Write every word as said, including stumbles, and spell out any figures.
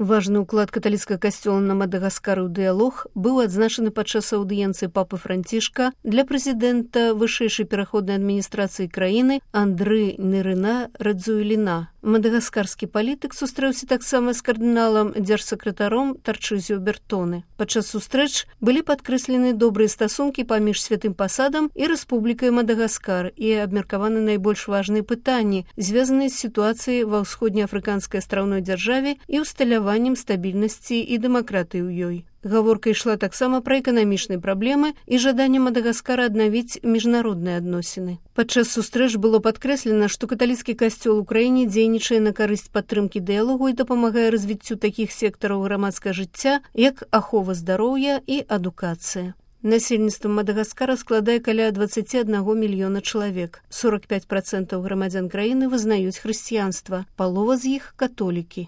Важны ўклад каталіцкага касцёла на Мадагаскары ў дыялог быў адзначаны падчас аўдыенцыі папы Францішка для прэзідэнта вышэйшай пераходнай адміністрацыі краіны Андры Нерына Радзуэліна. Мадагаскарскі палітык сустрэўся таксама з кардыналам дзяржсакратаром Тарчызіо Бертоне. Падчас сустрэч былі падкрэслены добрыя стасункі паміж святым пасадам і рэспублікай Мадагаскар і абмеркаваны найбольш важныя пытанні, звязаныя з сітуацыяй ва ўсходнеафрыканскай астраўной дзяржаве і ўсталяваннем стабільнасці і дэмакратыі ў ёй. Гаворка ішла таксама пра эканамічныя праблемы і жаданне Мадагаскара аднавіць міжнародныя адносіны. Падчас сустрэч было падкрэслена, што каталіцкі касцёл у краіне дзейнічае на карысць падтрымкі дыялогу і дапамагае развіццю такіх сектараў грамадскага жыцця, як ахова здароўя і адукацыя. Насельніцтва Мадагаскара складае каля дваццаць адзін мільёна чалавек. сорок пяць працэнтаў грамадзян краіны вызнаюць хрысціянства, палова з іх католікі.